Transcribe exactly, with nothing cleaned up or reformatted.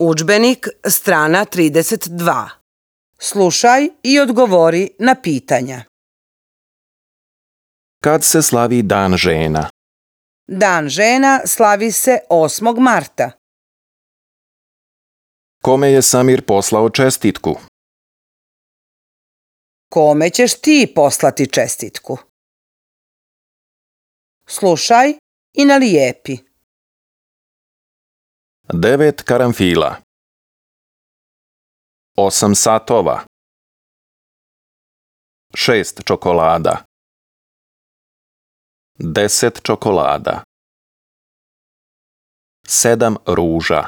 Udžbenik, strana trideset dva. Slušaj i odgovori na pitanja. Kad se slavi Dan žena? Dan žena slavi se osmog marta. Kome je Samir poslao čestitku? Kome ćeš ti poslati čestitku? Slušaj i nalijepi. Devet karanfila. Osam satova. Šest čokolada. Deset čokolada. Sedam ruža.